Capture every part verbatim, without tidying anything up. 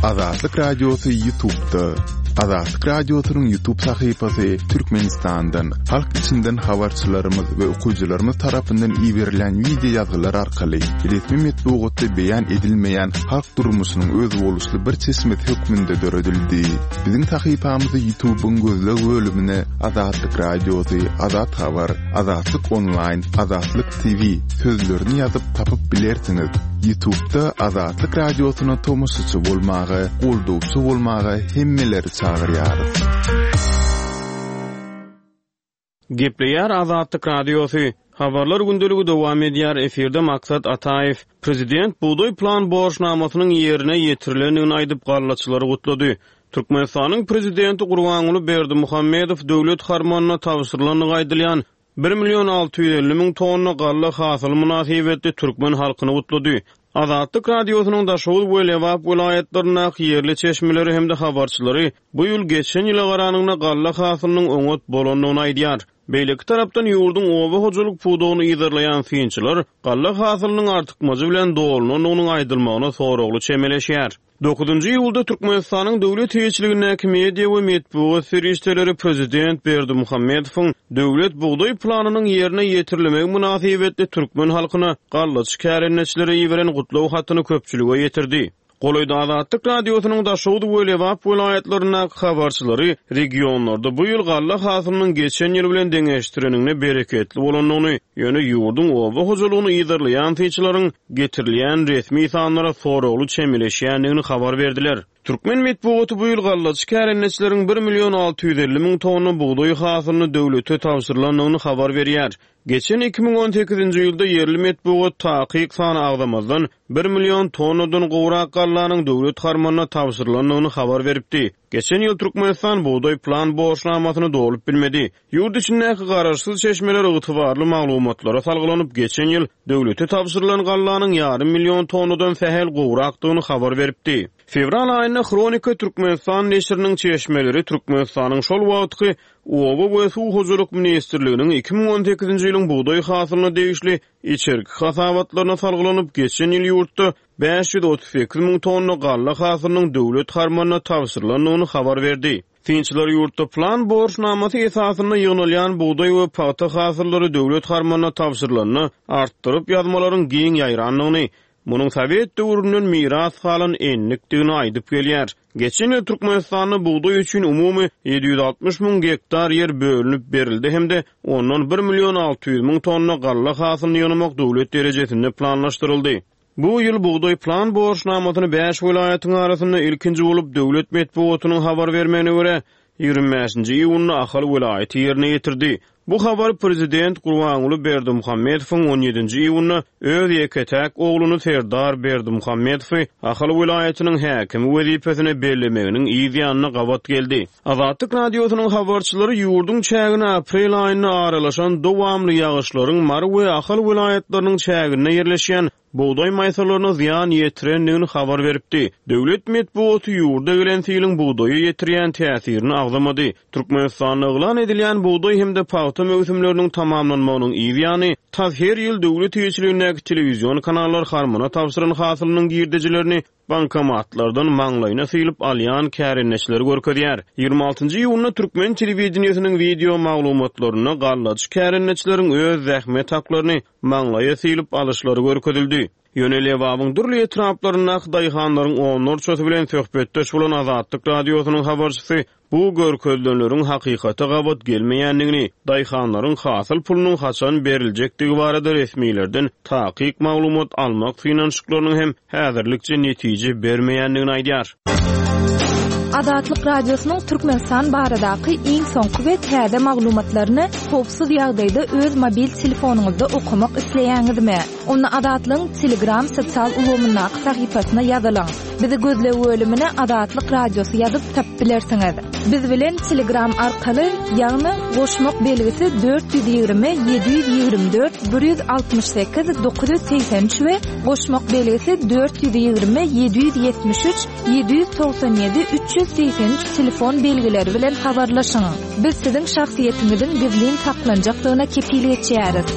Azatlyk Radiosy YouTube'da. Azatlyk Radiosynyň YouTube sahypasy Türkmenistandan, halk içinden habarçylarymyz we okyjylarymyz tarapyndan iberilen wideo ýazgylar arkaly resmi metbugatda beýan edilmeýän halk durmuşynyň özboluşly bir çeşmesi hökmünde döredildi. Biziň sahypamyzy YouTube'yň gözleg bölümine Azatlyk Radiosy, Azat Habar, Azatlyk Online, Azatlyk T V sözlerini ýazyp tapyp bilersiňiz. YouTube'da Azatlyk Radiosyna tomaşaçy bolmaga, goldawçy bolmaga hemmeleri çagyrýarys. Gepleýär Azatlyk Radiosy. Habarlar gündeligi dowam edýär. Efirde Maksat Ataýew. Prezident bugdaý plan borçnamasynyň ýerine ýetirilendigini aýdyp gallaçylary gutlady. Türkmenistanyň prezidenti Gurbanguly Berdimuhamedow döwlet harmanyna tabşyrylandygy aýdylýan bir million alty ýüz elli müň tonna galla hasyly mynasybetli türkmen halkyny gutlady. Azatlyk Radiosynyň Daşoguz we Lebap welaýatlaryndaky ýerli çeşmeleri hem-de habarçylary bu ýyl geçen ýyla garanyňda galla hasylynyň oňat bolandygyny aýdýar. Beýleki tarapdan ýurduň oba hojalyk pudagyny yzarlaýan synçylar galla hasylynyň artykmajy bilen dolunandygynyň aýdylmagyna soragly çemeleşýär. Dokuzunjy iýulda Türkmenistanyň döwlet eýeçiligindäki media we metbugat serişdeleri prezident Berdimuhamedowyň döwlet bugdaý planynyň ýerine ýetirilmegi mynasybetli türkmen halkyna gallaçy kärendeçilere iberen gutlag hatyny köpçülige ýetirdi. Golaýda Azatlyk Radiosynyň Daşoguz we Lebap welaýatlaryndaky habarçylary regionlarda bu ýyl galla hasylynyň geçen ýyl bilen deňeşdireninde bereketli bolandygyny, ýöne ýurduň oba hojalygyny yzarlaýan synçylaryň getirilýän resmi sanlara soragly çemeleşýändigini habar berdiler. Türkmen metbugaty bu ýyl gallaçy kärendeçileriň bir million alty ýüz elli müň tonna bugdaý hasylyny döwlete tabşyrylandygyny habar berýär. Geçen iki müň on sekizinji ýylda ýerli metbugat takyk sany agzamazdan bir million tonnadan gowrak gallanyň döwlet harmanyna tabşyrylandygyny habar beripdi. Geçen ýyl Türkmenistan bugdaý plan borçnamasyny dolup bilmedi. Ýurt içindäki garaşsyz çeşmeler ygtybarly maglumatlara salgylanyp, geçen ýyl döwlete tabşyrylan gallanyň ýarym million tonnadan sähel gowrakdygyny habar beripdi. Fewral aýynda Hronika Türkmenistan neşiriniň çeşmeleri Türkmenistanyň şol wagtky Oba we Suw hojalyk ministrliginiň iki müň on sekizinji ýylyň bugdaý hasylyna degişli içerki hasabatlaryna salgylanyp, geçen ýyl ýurtda bäş ýüz otuz sekiz müň tonna galla hasylynyň döwlet harmanyna tabşyrylandygyny habar berdi. Synçylar ýurtda plan borçnamasy esasynda ýygnalýan bugdaý we pagta hasyllary döwlet harmanyna tabşyrylanda artdyryp ýazmalaryň giň ýaýrandygyny, munuň Sowet döwründen miras galan enlikdigini aýdyp gelýär. Geçen ýyl Türkmenistanda bugdaý üçin umumy ýedi ýüz altmyş müň gektar ýer bölünip berildi hem-de ondan bir million alty ýüz müň tonna galla hasylyny ýygnamak döwlet derejesinde planlaşdyryldy. Bu ýyl bugdaý plan borçnamasyny bäş welaýatyň arasynda ilkinji bolup döwlet metbugatynyň habar bermegine görä ýigrimi bäşinji iýunda Ahal welaýaty ýerine ýetirdi. Bu habar prezident Gurbanguly Berdimuhamedowyň on ýedinji iýunda öz ýeke-täk ogluny Serdar Berdimuhamedowy Ahal welaýatynyň häkimi wezipesine bellemeginiň yz ýanyna gabat geldi. Azatlyk Radiosynyň habarçylary ýurduň çägine aprel aýynda aralaşan dowamly ýagyşlaryň Mary we Ahal welaýatlarynyň çäginde ýerleşýän bugdaý maýsalaryna zyýan ýetirendigini habar beripdi. Döwlet metbugaty ýurda gelen siliň bugdaýa ýetirýän täsirini agzamady. Türkmenistanda yglan edilýän bugdaý hem-de pagta möwsümleriniň tamamlanmagynyň yz ýany, tas her ýyl döwlet eýeçiligindäki telewizion kanallar harmana tabşyran hasylynyň girdejilerini bankomatlardan maňlaýyna syýylyp alýan kärendeçileri görkezýär. Ýigrimi altynjy iýunda türkmen telewideniýesiniň wideo maglumatlarynda gallaçy kärendeçileriň öz zähmet haklaryny maňlaýa syýylyp alyşlary görkezildi. Ýöne Lebabyň dürli etraplaryndaky daýhanlaryň onlarçasy bilen söhbetdeş bolan Azatlyk Radiosynyň habarçysy bu görkezilenleriň hakykata gabat gelmeýändigini, daýhanlaryň hasyl pulunyň haçan beriljekdigi barada resmilerden takyk maglumat almak synanyşyklarynyň hem häzirlikçe netije bermeýändigini aýdýar. Azatlyk Radiosynyň Türkmenistan baradaky iň soňky we täze maglumatlaryny howpsuz ýagdaýda öz mobil telefonyňyzda okamak isleýäňizmi? Onda Azatlygyň Telegram sosial ulgamyndaky sahypasyna ýazylyň. Bizi gözleg bölümine Azatlyk Radiosy ýazyp tapyp bilersiňiz. Biz bilen Telegram arkaly, ýagny goşmak belgisi dört ýüz ýigrimi, ýedi ýüz ýigrimi dört, bir ýüz altmyş sekiz, dokuz ýüz segsen üç we goşmak belgisi dört ýüz ýigrimi, ýedi ýüz ýetmiş üç, ýedi ýüz togsan ýedi, üç ýüz segsen üç telefon belgileri bilen habarlaşyň. Biz siziň şahsyýetiňiziň gizlin saklanjakdygyna kepil geçýäris.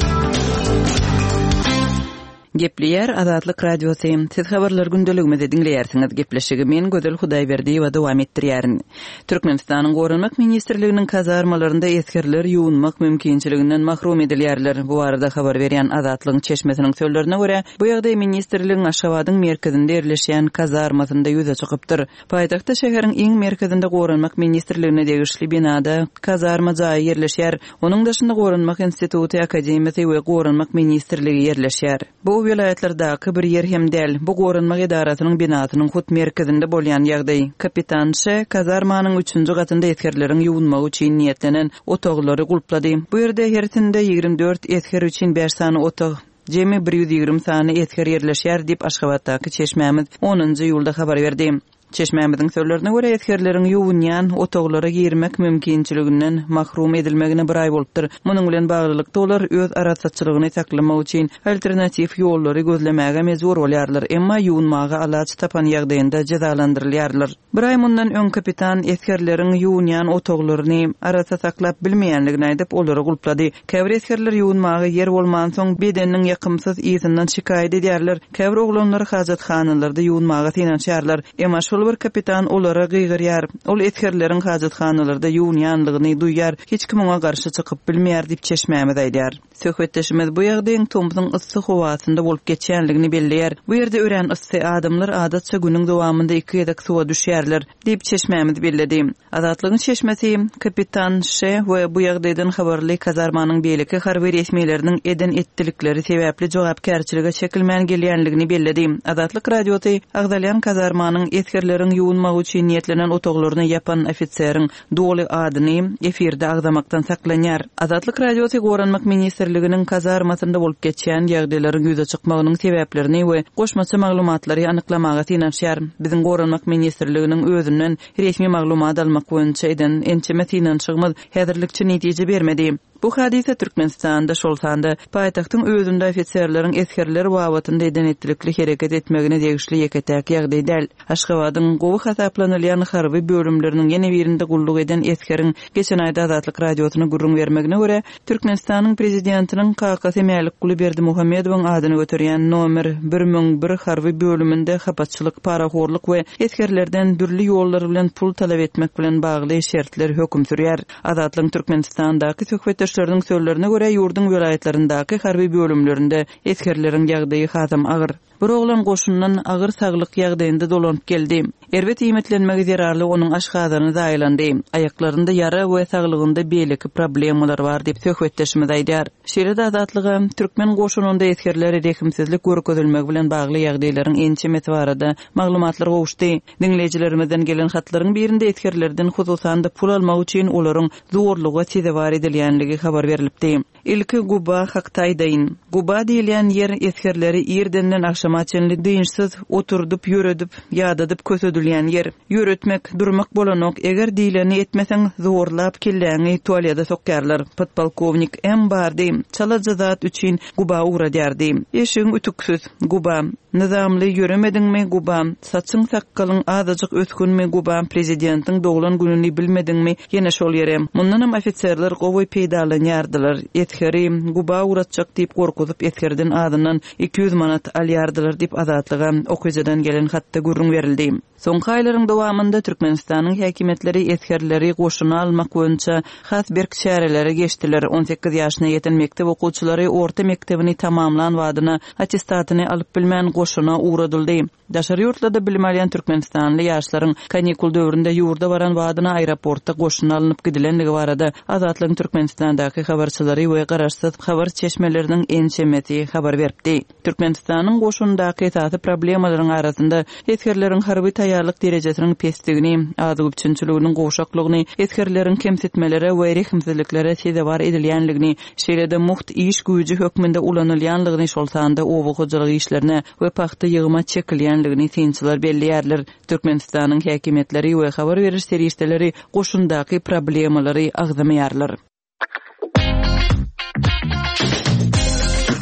Gepleýär Azatlyk Radiosy. Siz habarlar gündeligimizi diňleýärsiňiz. Gepleşigi men Gözel Hudaýberdiýewa dowam etdirýärin. Türkmenistanyň Goranmak ministrliginiň kazarmalarynda esgerler ýuwunmak mümkinçiliginden mahrum edilýärler. Bu barada habar berýän Azatlygyň çeşmesiniň sözlerine görä, bu ýagdaý ministrligiň Aşgabadyň merkezinde ýerleşýän kazarmasynda ýüze çykypdyr. Paýtagtda şäheriň iň merkezinde Goranmak ministrligine degişli binada kazarma jaýy ýerleşýär. Onuň daşynda Goranmak instituty, akademiýasy we Goranmak ministrligi ýerleşýär. Bu welaýatlardaky bir ýer hem däl. Bu Goranmak edarasynyň binasynyň hut merkezinde bolýan ýagdaý. Kapitan Ş kazarmanyň üçünji gatynda esgerleriň ýuwunmagy üçin niýetlenen otaglary gulplady. Bu ýerde hersinde ýigrimi dört esger üçin bäş sany otag, jemi bir ýüz ýigrimi sany esger ýerleşýär diýip Aşgabatdaky çeşmämiz onunjy iýulda habar berdi. Çeşmämiziň sözlerine görä esgerleriň ýuwunýan otaglara girmek mümkinçiliginden mahrum edilmegine bir aý bolupdyr. Munuň bilen baglylykda olar öz arassaçylygyny saklamak üçin alternatiw ýollary gözlemäge mejbur bolýarlar, emma ýuwunmaga alaç tapan ýagdaýynda jezalandyrylýarlar. Bir aý mundan öň kapitan esgerleriň ýuwunýan otaglaryny arassa saklap bilmeýänligini aýdyp, olary gulplady. Käbir esgerler ýuwunmaga ýer bolmansoň bedeniniň ýakymsyz yzyndan şikaýat edýärler. Käbir oglanlar hajathanalarda ýuwunmaga synanyşýarlar. Emma şol bir kapitan olara gygyrýar. Ol esgerleriň hajathanalarda ýuwunýanlygyny duýýar. Hiç kim oňa garşy çykyp bilmeýär diýip çeşmämiz aýdýar. Söhbetdeşimiz bu ýagdaýyň tomsuň yssy howasynda bolup geçýänligini belleýär. Bu ýerde örän yssy adamlar adatça günüň dowamynda iki gezek suwa düşýärler diýip çeşmämiz belledi. Azatlygyň çeşmesi kapitan Ş we bu ýagdaýdan habarly kazarmanyň beýleki harby resmileriniň eden etdilikleri sebäpli jogapkärçilige çekilmän gelýänligini belledi. Azatlyk Radiosy agzalýan kazarmanyň esgerleriň ýuwunmagy üçin niýetlenen otaglaryny ýapan ofiseriň doly adyny efirde agzamakdan saklanýar. Azatlyk Radiosy Goranmak ministrliginiň kazarmasynda bolup geçýän ýagdaýlaryň ýüze çykmagynyň sebäplerini we goşmaça maglumatlary anyklamaga synanyşýar. Biziň Goranmak ministrliginiň özünden resmi maglumat almak boýunça eden ençeme synanyşygymyz häzirlikçe netije bermedi. Bu hadise Türkmenistanda şol sanda paýtagtyň özünde ofiserleriň esgerler babatynda eden etdilikli hereket etmegine degişli ýeke-täk ýagdaý däl. Aşgabadyň gowy hasaplanylýan harby bölümleriniň ýene birinde gulluk eden esgeriň geçen aýda Azatlyk Radiosyna gürrüň bermegine görä, Türkmenistanyň prezidentiniň kakasy Mälikguly Berdimuhamedowyň adyny göterýän nomer bir müň bir harby bölüminde hapaçylyk, parahorluk we esgerlerden dürli ýollar bilen pul talap etmek bilen bagly şertler höküm sürýär. Azatlygyň Türkmenistandaky söhbetdeşleriniň sözlerine görä, ýurduň welaýatlaryndaky harby bölümlerinde esgerleriň ýagdaýy hasam agyr. Bir oglan goşundan agyr saglyk ýagdaýynda dolanyp geldi. Erbet iýmitlenmegi zerarly onuň aşgazany zaýalandy. Aýaklarynda ýara we saglygynda beýleki problemalar bar diýip söhbetdeşimiz aýdýar. Şeýle-de Azatlyga türkmen goşunynda esgerlere rehimsizlik görkezilmegi bilen bagly ýagdaýlaryň ençemesi barada maglumatlar gowuşdy. Diňleýjilerimizden gelen hatlaryň birinde esgerlerden hususan-da pul almak üçin olaryň zorluga sezewar edilýänligi habar berilipdi. Ilki Guba hakda aýdaýyn. Guba diýilýän ýer esgerleri irdenden agşama çenli dynçsyz oturdyp, ýöredip, ýadadyp kösedilýän ýer. Ýöretmek, durmak bolanok, eger diýleni etmeseň zorlap kelläňi tualete sokýarlar. Podpolkovnik M bardy. Çalaja zat üçin Guba ugradýardy. Eşigiň ütüksiz Guba. Nizamly ýöremediňmi Guba? Saçyň sakgalyň azajyk ösgünmi Guba? Prezidentiň doglan gününi bilmediňmi? Ýene şol ýere. Mundanam ofiserler gowy peýdalanýardylar. Esgeri Guba ugratjak diýip gorkuzyp esgerden azyndan iki ýüz manat alýardylar diýip Azatlyga okyjydan gelen hatda gürrüň berildi. Soňky aýlaryň dowamynda Türkmenistanyň häkimiýetleri esgerleri goşuna almak boýunça has berk çärelere geçdiler. On sekiz ýaşyna ýeten mekdep okuwçylary orta mekdebini tamamlan wadyna attestatyny alyp bilmän goşuna ugradyldy. Daşary ýurtlarda bilim alýan Türkmenistanly ýaşlaryň kanikul döwründe ýurda baran wadyna aeroportda goşuna alnyp gidilenligi barada Azatlygyň Türkmenistandaky habarçylary we garaşsyz habar çeşmeleriniň ençemesi habar beripdi. Türkmenistanyň goşundaky esasy problemalaryň arasynda esgerleriň harby taýýarlyk derejesiniň pesligini, azyk üpjünçiliginiň gowşaklygyny, esgerleriň kemsitmelere we rehimsizliklere sezewar edilýänligini, şeýle-de muht iş güýji hökmünde ulanylýanlygyny, şol sanda oba hojalyk işlerine we pagta ýygyma çekilýänligini synçylar belleýärler. Türkmenistanyň häkimiýetleri we habar beriş serişdeleri goşundaky problemalary agzamaýarlar.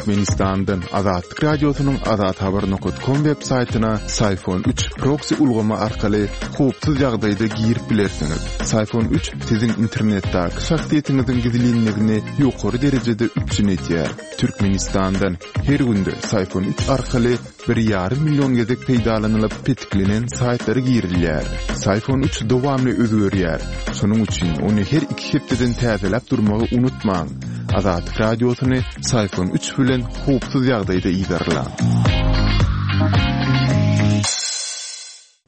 Türkmenistandan Azatlyk Radiosynyň azathabar nokat kom web saýtyna Syfon üç proksi ulgamy arkaly howpsuz ýagdaýda girip bilersiňiz. Syfon üç siziň internetdäki şahsyýetiňiziň gizlinligini ýokary derejede üpjün edýär. Türkmenistandan her günde Syfon üç arkaly bir ýarym million gezek peýdalanylyp petiklenen saýtlara girilýär. Syfon üç dowamly özgerýär. Şonuň üçin ony her iki hepdeden täzeläp durmagy unutmaň. Azatlyk Radiosyny Syfon üç bilen howpsuz ýagdaýda yzarlaň.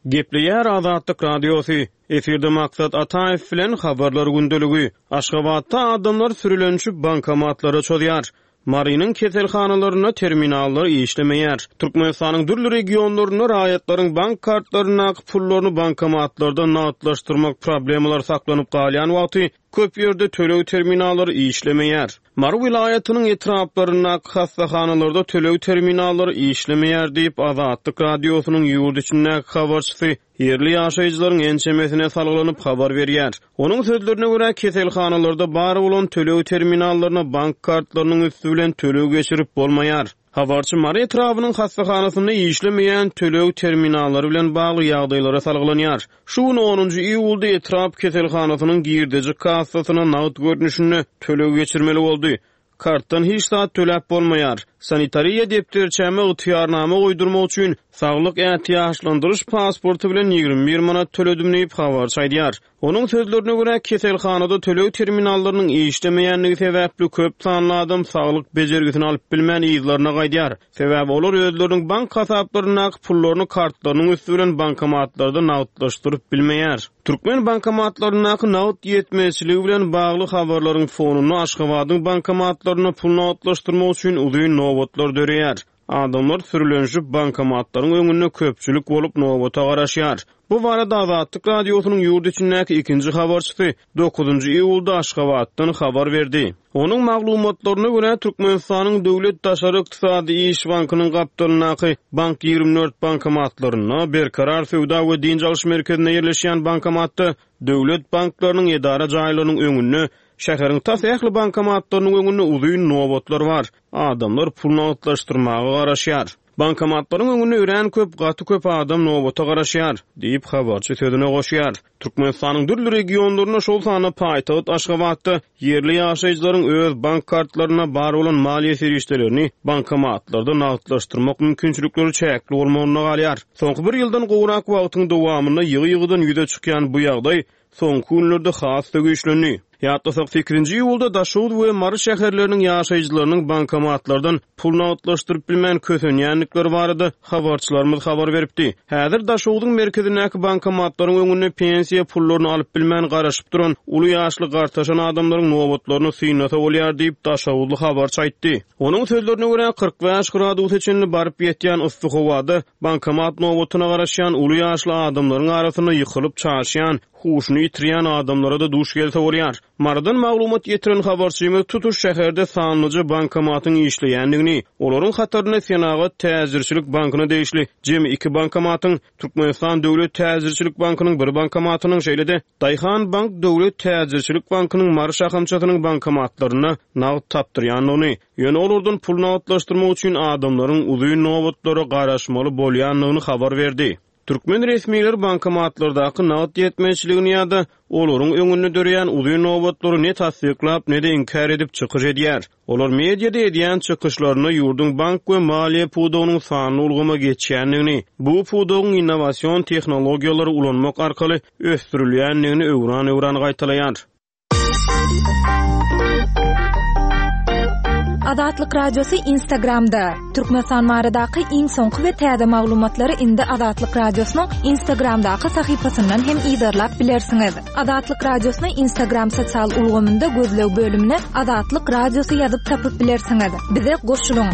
Gepleýär Azatlyk Radiosy. Efirde Maksat Ataýew bilen habarlar gündeligi. Aşgabatda adamlar sürülenişip bankomatlara çozýar. Marynyň keselhanalarynda terminallar işlemeýär. Türkmenistanyň dürli regionlarynda raýatlaryň bank kartlaryndaky pullaryny bankomatlarda nagtlaşdyrmak problemalary saklanyp galýan wagty köp ýerde töleg terminallary işlemeýär. Mary welaýatynyň etraplaryndaky hassahanalarda töleg terminallary işlemeýär diýip Azatlyk Radiosynyň ýurt içindäki habarçysy ýerli ýaşaýjylaryň ençemesine salgylanyp habar berýär. Onuň sözlerine görä keselhanalarda bar bolan töleg terminallaryna bank kartlarynyň üstü bilen töleg geçirip bolmaýar. Habarçy Mary etrabynyň hassahanasynda işlemeýän töleg terminallary bilen bagly ýagdaýlara salgylanýar. Şu gün onunjy iýulda etrap keselhanasynyň girdeji kassasyna nagt görnüşinde töleg geçirmeli boldy. Kartdan hiç zat töläp bolmaýar. Sanitariýa depderçäme ygtyýarnama goýdurmak üçin saglyk ätiýaçlandyryş pasporty bilen ýigrimi bir manat töledim diýip habarçy aýdýar. Onuň sözlerine görä keselhanada töleg terminallarynyň işlemeýänligi sebäpli köp sanly adam saglyk bejergisini alyp bilmän yzlaryna gaýdýar. Sebäbi olar özleriniň bank hasaplaryndaky pullaryny kartlarynyň üstü bilen bankomatlarda nagtlaşdyryp bilmeýär. Türkmen bankomatlaryndaky nagt ýetmezçiligi bilen bagly habarlaryň fonunda Aşgabadyň bankomatlaryna pul nagtlaşdyrmak üçin uzyn nobatlar döreýär. Adamlar sürülenişip bankomatlaryň öňünde köpçülik bolup nobata garaşýar. Bu barada Azatlyk Radiosynyň ýurt içindäki ikinji habarçysy dokuzynjy iýulda Aşgabatdan habar berdi. Onuň maglumatlaryna görä Türkmenistanyň Döwlet Daşary Ykdysady Iş Bankynyň gapdalyndaky Bank ýigrimi dört bankomatlarynda, Berkarar Söwda we Dynç alyş merkezinde ýerleşýän bankomatda, döwlet banklarynyň edara jaýlarynyň öňünde, şäheriň tas ähli bankomatlarynyň öňünde uzyn nobatlar bar. Adamlar pul nagtlaşdyrmaga garaşýar. Bankomatlaryň öňünde örän köp, gaty köp adam nobata garaşýar, diýip habarçy sözüne goşýar. Türkmenistanyň dürli regionlarynda, şol sanda paýtagt Aşgabatda ýerli ýaşaýjylaryň öz bank kartlaryna bar bolan maliýe serişdelerini bankomatlarda nagtlaşdyrmak mümkinçilikleri çäkli bolmagynda galýar. Soňky bir ýyldan gowrak wagtyň dowamynda ýygy-ýygydan ýüze çykýan bu ýagdaý soňky günlerde has-da güýçlendi. Ýatlasak sekizinji iýulda Daşoguz we Mary şäherleriniň ýaşaýjylarynyň bankomatlardan pul nagtlaşdyryp bilmän kösenýändikleri barada habarçylarymyz habar beripdi. Häzir Daşoguzyň merkezindäki bankomatlaryň öňünde pensiýa pullaryny alyp bilmän garaşyp duran uly ýaşly gartaşan adamlaryň nobatlaryny synlasa bolýar diýip Daşoguzly habarçy aýtdy. Onuň sözlerine görä kyrk bäş gradusa çenli baryp ýetýän yssy howada bankomat nobatyna garaşýan uly ýaşly adamlaryň arasynda ýykylyp çaşýan, huşuny ýitirýän adamlara da duş gelse bolýar. Marydan maglumat ýetiren habarçymyz tutuş şäherde sanlyja bankomatyň işleýändigini, olaryň hatarynda Senagat Täjirçilik Bankyna degişli jemi iki bankomatyň, Türkmenistan Döwlet Täjirçilik Bankynyň bir bankomatynyň, şeýle-de Daýhan Bank Döwlet Täjirçilik Bankynyň Mary şahamçasynyň bankomatlarynda nagt tapdyrýandygyny, ýöne olardan pul nagtlaşdyrmak üçin adamlaryň uzyn nobatlara garaşmaly bolýandygyny habar berdi. Türkmen resmileri bankomatlardaky nagt ýetmezçiligini ýa-da olaryň öňünde döreýän uzyn nobatlary ne tassyklap, ne de inkär edip çykyş edýär. Olar mediada edýän çykyşlarynda ýurduň bank we maliýe pudagynyň sanly ulgama geçýändigini, bu pudagyň innowasion tehnologiýalary ulanmak arkaly ösdürilýändigini öwran-öwran gaýtalaýar. Azatlyk Radiosy Instagramda. Türkmenistan baradaky iň soňky we täze maglumatlary indi Azatlyk Radiosynyň Instagramdaky sahypasyndan hem yzarlap bilersiňiz. Azatlyk Radiosyny Instagram sosial ulgamynda gözleg bölümine Azatlyk Radiosy ýazyp tapyp bilersiňiz. Bize goşulyň.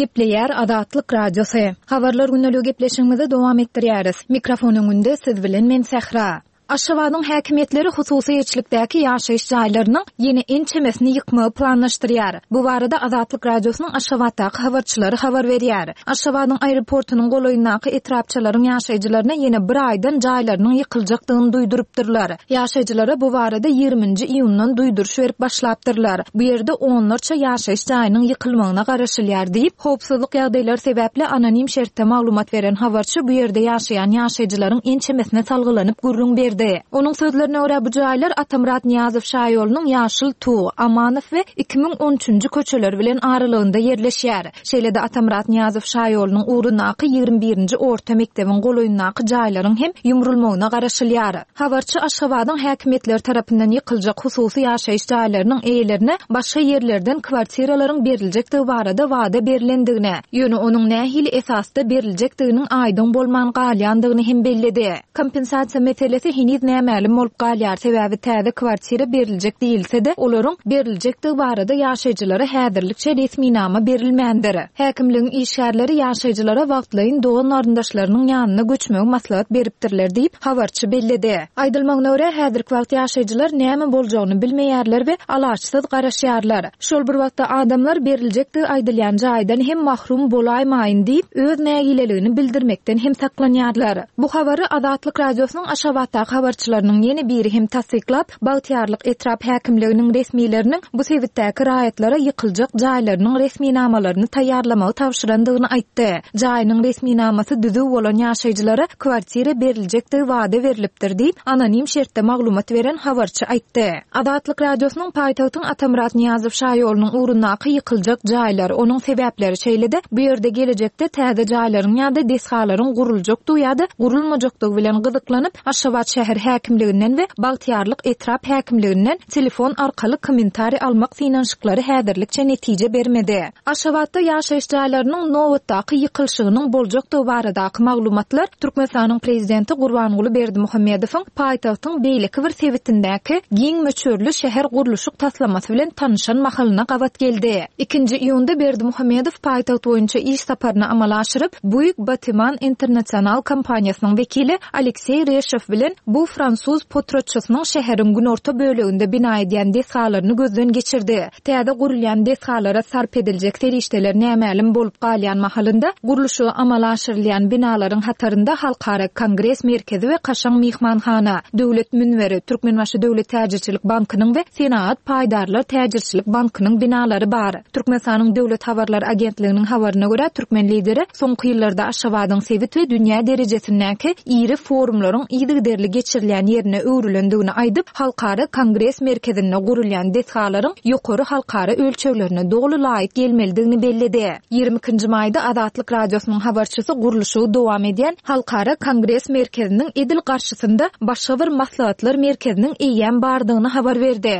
Gepleýär Azatlyk Radiosy. Habarlar günlügi gepleşigimizi dowam etdirýäris. Mikrofon öňünde siz bilen men Sähra. Aşgabadyň häkimiýetleri hususy eýeçilikdäki ýaşaýyş jaýlarynyň ýene ençemesini ýykmagy planlaşdyrýar. Bu barada Azatlyk Radiosynyň Aşgabatdaky habarçylary habar berýär. Aşgabadyň aeroportunyň golaýyndaky etrapçalaryň ýaşaýjylaryna ýene bir aýdan jaýlarynyň ýykyljakdygyny duýdurypdyrlar. Ýaşaýjylara bu barada ýigriminji iýundan duýduryş berip başlapdyrlar. Bu ýerde onlarça ýaşaýyş jaýynyň ýykylmagyna garaşylýar diýip, howpsuzlyk ýagdaýlary sebäpli anonim şertde maglumat beren habarçy bu ýerde ýaşaýan ýaşaýjylaryň ençemesine salgylanyp gürrüň berdi. Onuň sözlerine görä bu jaýlar Atamyrat Nyýazow şaýolunyň Ýaşyl Tug, Amanow we iki müň on üçünji köçeleri bilen aralygynda ýerleşýär. Şeýle-de Atamyrat Nyýazow şaýolunyň ugrundaky ýigrimi birinji orta mekdebiň golaýyndaky jaýlaryň hem ýumrulmagyna garaşylýar. Habarçy Aşgabadyň häkimiýetleri tarapyndan ýykyljak hususy ýaşaýyş jaýlarynyň eýelerine başga ýerlerden kwartiralaryň beriljekdigi barada wada berilendigine, ýöne onuň nähili esasda beriljekdiginiň aýdyň bolman galýandygyny hem belledi. Kompensasiýa meselesi heniz nämälim bolup galýar, sebäbi täze kwartira beriljek diýilse-de, olaryň beriljekdigi barada ýaşaýjylara häzirlikçe resminama berilmändir. Häkimligiň işgärleri ýaşaýjylara wagtlaýyn dogan garyndaşlarynyň ýanyna göçmegi maslahat beripdirler diýip, habarçy belledi. Aýdylmagyna görä, häzirki wagt ýaşaýjylar näme boljagyny bilmeýärler we alaçsyz garaşýarlar. Şol bir wagtda adamlar beriljekdigi aýdylýan jaýdan hem mahrum bolaýmaýyn diýip, öz nägileligini bildirmekden hem saklanýarlar. Bu habary Azatlyk Radiosynyň Aşgabatdaky habarçylarynyň ýene biri hem tassyklap, Bagtyýarlyk etrap häkimliginiň resmileriniň bu sebitdäki raýatlara ýykyljak jaýlarynyň resminamalaryny taýýarlamagy tabşyrandygyny aýtdy. Jaýynyň resminamasy düzüw bolan ýaşaýjylara kwartira beriljekdigi wada berilipdir diýip, anonim şertde maglumat beren habarçy aýtdy. Azatlyk Radiosynyň paýtagtyň Atamyrat Nyýazow şaýolunyň ugrundaky ýykyljak jaýlar, onuň sebäpleri şeýle-de bu ýerde gelejekde täze jaýlaryň ýa-da desgalaryň guruljakdygy ýa-da gurulmajakdygy bilen gyzyklanyp, Aşgabat şäher häkimliginden we Bagtyýarlyk etrap häkimliginden telefon arkaly kommentariý almak synanyşyklary häzirlikçe netije bermedi. Aşgabatda ýaşaýyş jaýlarynyň nobatdaky ýykylyşygynyň boljakdygy baradaky maglumatlar Türkmenistanyň prezidenti Gurbanguly Berdimuhamedowyň paýtagtyň beýleki bir sebitindäki giň möçberli şäher gurluşyk taslamasy bilen tanyşan mahalyna gabat geldi. Ikinji iýunda Berdimuhamedow paýtagt boýunça iş saparyny amala aşyryp, Buig Batiman International kompaniýasynyň wekili Alekseý Reşow bilen bu fransuz potratçysynyň şäheriň günorta böleginde bina edýän desgalaryny gözden geçirdi. Täze gurulýan desgalara sarp ediljek serişdeler nämälim bolup galýan mahalynda gurluşygy amala aşyrylýan binalaryň hatarynda Halkara Kongres merkezi we Kaşaň mehmanhana, Döwlet münberi, Türkmenbaşy Döwlet Täjirçilik Bankynyň we Senagat Paýdarlar Täjirçilik Bankynyň binalary bar. Türkmenistanyň Döwlet Habarlar Agentliginiň habaryna görä türkmen lideri soňky ýyllarda Aşgabadyň sebit we dünýä derejesindäki iri forumlaryň yzygiderli geçirilýän ýerine öwrülendigini aýdyp, Halkara Kongres merkezinde gurulýan desgalaryň ýokary halkara ölçeglerine doly laýyk gelmelidigini belledi. Ýigrimi ikinji maýda Azatlyk Radiosynyň habarçysy gurluşygy dowam edýän Halkara Kongres merkeziniň edil garşysynda başga bir maslahatlar merkeziniň eýýäm bardygyny habar berdi.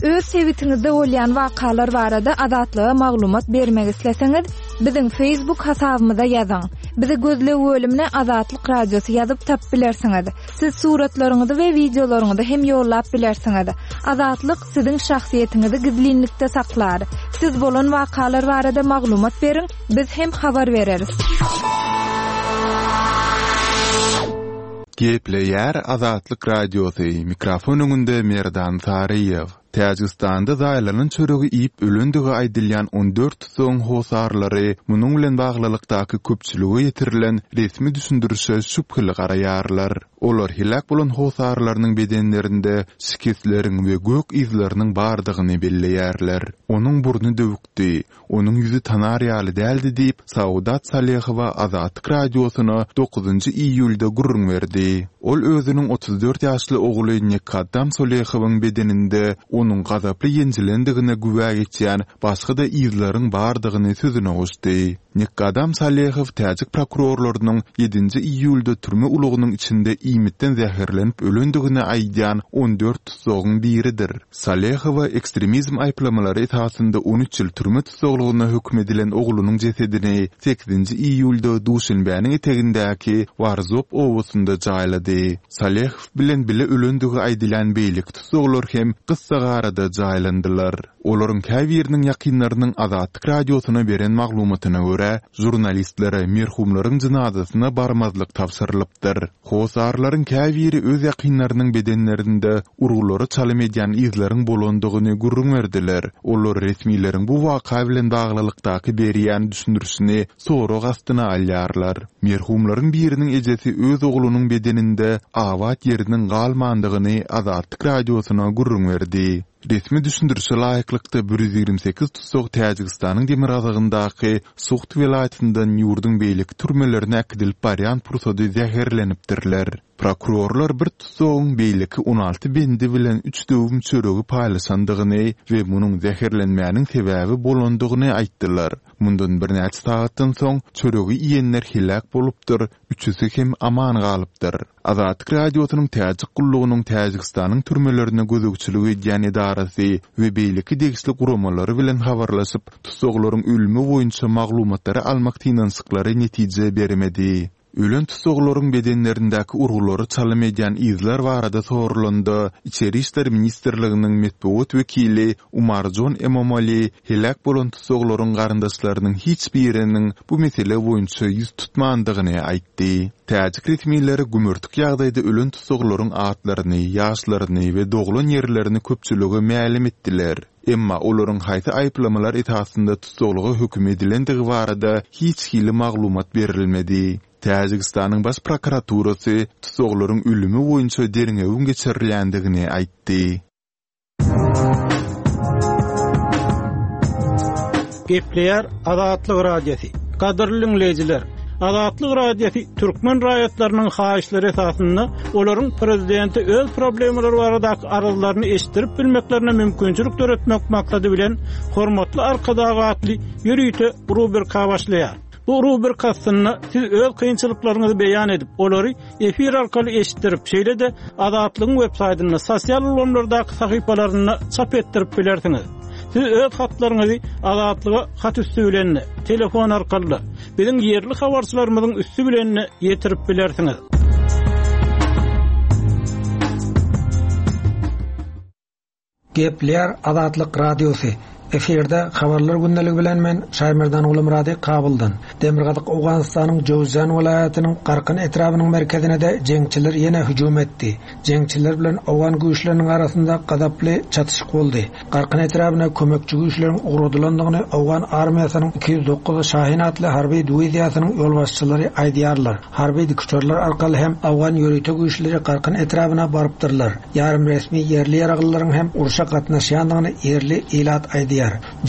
Öz sebitiňizde bolýan wakalar barada Azatlyga maglumat bermek isleseňiz, biziň Facebook hasabymyza ýazyň. Bizi gözleg bölümine Azatlyk Radiosy ýazyp tap bilersiňiz. Siz suratlaryňyzy we wideolaryňyzy hem ýollap bilersiňiz. Azatlyk siziň şahsyýetiňizi gizlinlikde saklar. Siz bolan wakalar barada maglumat beriň, biz hem habar bereris. Gepleýär Azatlyk Radiosy, mikrofon öňünde Merdan Saryýew. Täjigistanda zaýalanan çöregi iýip ölendigi aýdylýan on dört tutsagyň hosarlary munuň bilen baglylykdaky köpçülige ýetirilen resmi düşündirişe şübheli garaýarlar. Olar helak bolan hosarlarynyň bedenlerinde şikesleriň we gök yzlarynyň bardygyny belleýärler. Onuň burny döwükdi, onuň ýüzi tanar ýaly däldi diýip Saudat Salehowa Azatlyk Radiosyna dokuzynjy iýulda gürrüň berdi. Ol özüniň otuz dört ýaşly ogly Nekkaddam Salehowyň bedeninde onuň gazaply ýenjilendigine güwä geçýän başga-da yzlaryň bardygyny sözüne goşdy. Nekkaddam Salehow täjik prokurorlarynyň ýedinji iýulda türme ulugynyň içinde iýmitden zäherlenip ölendigini aýdýan on dört tutsagyň biridir. Salehowa ekstremizm aýyplamalary esasynda on üç ýyl türme tussaglygyna höküm edilen oglunyň jesedini sekizinji iýulda Duşenbäniň etegindäki Warzop obasynda jaýlady. Salehow bilen bile ölendigi aýdylýan beýleki tussaglar hem gyssagarada jaýlandylar. Olaryň käbiriniň ýakynlarynyň Azatlyk Radiosyna beren maglumatyna görä, görä, žurnalistlere merhumlaryň jynazasyna barmazlyk tabşyrylypdyr. Hossarlaryň käbiri öz ýakynlarynyň bedenlerinde urgulara çalym edýän yzlaryň bolandygyny gürrüň berdiler. Olar resmileriň bu waka bilen baglylykdaky berýän düşündirişini sorag astyna alýarlar. Merhumlaryň biriniň ejesi öz oglunyň bedeninde abat ýeriniň galmandygyny Azatlyk Radiosyna gürrüň berdi. Resmi düşündirişe laýyklykda bir ýüz ýigrimi sekiz tussag Täjigistanyň demirgazygyndaky Suht welaýatyndan ýurduň beýleki türmelerine äkidilip barýan pursady zäherlenipdirler. Prokurorlar bir tussagyň beýleki on alty bendi bilen üç döwüm çöregi paýlaşandygyny we munuň zäherlenmäniň sebäbi bolandygyny aýtdylar. Mundan birnäçe sagatdan soň çöregi iýenler heläk bolupdyr, üçüsi hem aman galypdyr. Azatlyk Radiosynyň Täjik gullugynyň Täjigistanyň türmelerine gözegçilik edýän edarasy we beýleki degişli guramalary bilen habarlaşyp, tussaglaryň ölümi boýunça maglumatlary almak synanyşyklary netije bermedi. Ölen tussaglaryň bedenlerindäki urgulary çalym edýän yzlar barada sorulanda, Içeri işler ministrliginiň metbugat wekili Umarjon Emomali heläk bolan tussaglaryň garyndaşlarynyň hiç biriniň bu mesele boýunça ýüz tutmandygyny aýtdy. Täjik resmileri gümürtik ýagdaýda ölen tussaglaryň atlaryny, ýaşlaryny we doglan ýerlerini köpçülige mälim etdiler. Emma olaryň haýsy aýyplamalar esasynda tussaglyga höküm edilendigi barada hiç hili maglumat berilmedi. Täjigistanyň baş prokuraturasy tussaglaryň ölümi boýunça derňewiň geçirilýändigini aýtdy. Gepleýär Azatlyk Radiosy. Gadyrly dinleýjiler, Azatlyk Radiosy türkmen raýatlarynyň haýyşlary esasynda olaryň prezidenti öz problemalary baradaky arzlaryny eşitdirip bilmeklerine mümkinçilik döretmek maksady bilen Hormatly Arkadag atly ýörite rubrika başlaýar. Bu rubrika aslynda siz öz kynçylyklaryňyzy beýan edip, olary efir arkaly eşitdirip, şeýle-de Azatlygyň web saýtynda, sosial ulgamlardaky sahypalarynda çap etdirip bilersiňiz. Siz öz hatlaryňyzy Azatlyga hat üstü bilen, telefon arkaly, biziň ýerli habarçylarymyzyň üstü bilen ýetirip bilersiňiz. Gepleýär Azatlyk Radiosy. Efirde habarlar gündeligi bilen men Şaýmerdan Gulumyrady Kabuldan. Demirgazyk Owganystanyň Jowzjan welaýatynyň Garkyn etrabynyň merkezine de jeňçiler ýene hüjüm etdi. Jeňçiler bilen Owgan güýçleriniň arasynda gazaply çatyşyk boldy. Garkyn etrabyna kömekçi güýçleriň ugradylandygyny Owgan armiýasynyň iki ýüz dokuz Şahin atly harby diwiziýasynyň ýolbaşçylary aýdýarlar. Harby dikuçarlar arkaly hem Owgan ýörite güýçleri Garkyn etrabyna barypdyrlar. Ýarym resmi ýerli ýaraglylaryň hem urşa gatnaşýandygyny ýerli ilat aýdýar.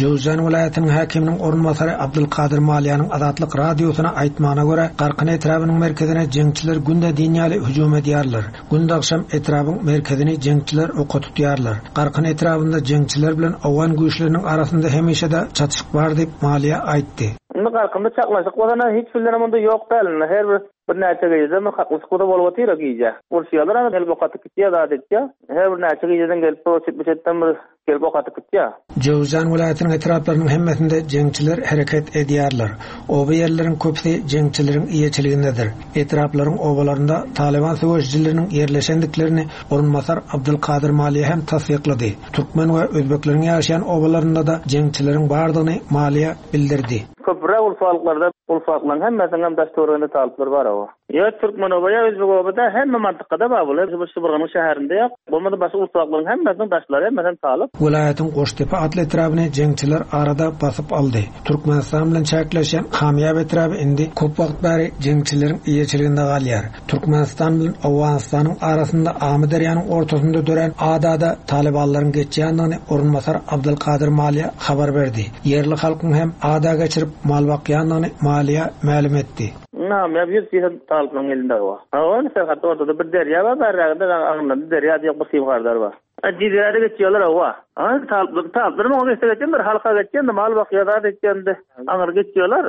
Jowzjan welaýatynyň häkiminiň orunbasary Abdulkadir Maliýanyň Azatlyk Radiosyna aýtmagyna görä, Garkyn etrabynyň merkezine jeňçiler günde diýen ýaly hüjüm edýärler. Günde agşam etrabyň merkezini jeňçiler oka tutýarlar. Garkyn etrabynda jeňçiler bilen Owgan güýçleriniň arasynda hemişe-de çatyşyk bar diýip Maliýa aýtdy. Indi Garkynda çaklaşyk bolana hiç bilen onda ýok däl. Her bir bir näçe gije mi haklyk bolsa bolup otyr gije. Urşýarlar ama gelip okatyp gitýär, zat etýär. Her bir näçe gijeden gelip bu bir çetden bir gelip okatyp gitýär. Jowzjan welaýatynyň etraplarynyň hemmesinde jeňçiler hereket edýärler. Oba ýerleriň köpüsi jeňçileriň eýeçiligindedir. Etraplaryň obalarynda Taliban söweşijileriniň ýerleşendiklerini orunbasar Abdulkadir Maliýa hem tassyklady. Türkmen we özbekleriň ýaşaýan obalarynda da jeňçileriň bardygyny Maliýa bildirdi. Köpräk ulfalyklarda ulfalyklaryň hemmesiniň hem daş töwereginde talyplar bar oba. Ýa türkmen oba, ýa özbek obada hemme mantykada bar bular. Bu Şybyrganyň şäherinde ýok. Bolmasa başga ulfalyklaryň hemmesiniň daşlary hemmesiniň talyp. Welaýatyň Goştepe atly etrabyny jeňçiler arada basyp aldy. Türkmenistan bilen çäkleşen Hamyýap etraby indi köp wagt bäri jeňçileriň eýeçiliginde galýar. Türkmenistan bilen Owganystanyň arasynda Amyderýanyň ortasynda dörän adada talybanlaryň geçýändigini orunbasar Abdulkadir Maliýa habar berdi. Ýerli halkyň hem ada geçirip mal bakýandygyny Maliýa mälim etdi. Nam ya bir diýen talyplaryň elinde bar. Hawa, serhat ortada bir derýa bar, bärräginde agynda derýa diýip bir simhardar bar. Dizlerde geçiyorlar hawa. Ha, talyplar, talyplar oňa geçse geçen bir halka geçen, mal bakýar, zat etýän, aňyr geçiyorlar.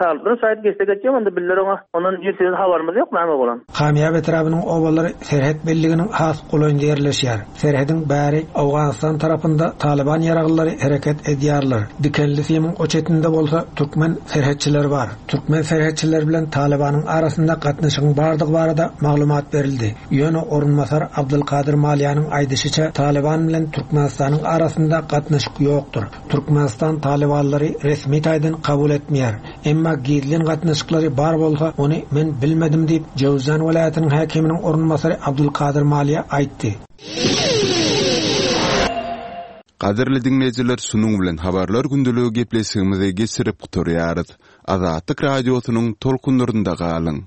Talyplar şaýat geçse geçen, onda biller oňa, ondan ýüz habarymyz ýok, näme bolan. Hamyýap etrabynyň obalary serhet belliginiň has golaýynda ýerleşýär. Serhediň bäri Owganystan tarapynda Taliban ýaraglylary hereket edýärler. Dikenli simiň o çetinde bolsa türkmen serhetçileri bar. Türkmen serhetçileri bilen Talibanyň arasynda gatnaşygyň bardygy barada maglumat berildi. Ýöne orunbasar Abdulkadir Maliýanyň aýdyşyça Taliban bilen Türkmenistanyň arasynda gatnaşyk ýokdur. Türkmenistan Talibanlary resmi taýdan kabul etmeýär. Emma gizlin gatnaşyklary bar bolsa, ony men bilmedim diýip, Jöwzjan welaýatynyň häkiminiň orunbasary Abdulkadyr Maliýa aýtdy. Gadyrly diňleýjiler, şunuň bilen Habarlar gündeligi gepleşigimizi geçirip gutarýarys. Azatlyk Radiosynyň tolkunlarynda galyň!